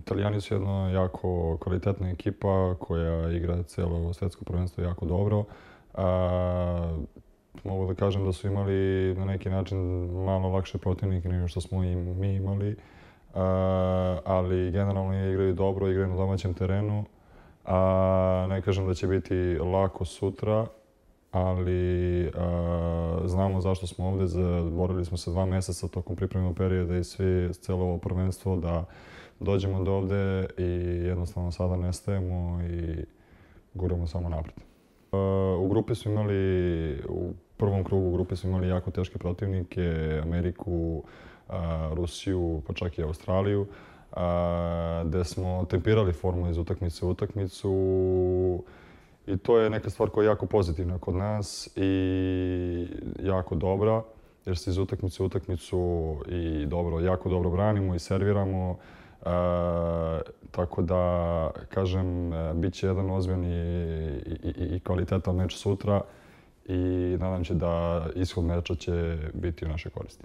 Italijani su jedna jako kvalitetna ekipa koja igra cijelo svetsko prvenstvo jako dobro. Mogu da kažem da su imali na neki način malo lakše protivnike nego što smo i mi imali, ali generalno igraju dobro, igraju na domaćem terenu. Ne kažem da će biti lako sutra, ali znamo zašto smo ovde. Borili smo se 2 meseca tokom pripremnog perioda i cijelo ovo prvenstvo da dođemo do ovde i jednostavno sada nestajemo i guramo samo napred. U grupi su imali, u prvom krugu grupe su imali jako teške protivnike, Ameriku, Rusiju, pa čak i Australiju, gde smo tempirali formu iz utakmice u utakmicu i to je neka stvar koja je jako pozitivna kod nas i jako dobra, jer se iz utakmice u utakmicu i jako dobro branimo i serviramo. Tako da, kažem, bit će jedan ozbiljan i kvalitetan meč sutra i nadam se da ishod meča će biti u našoj koristi.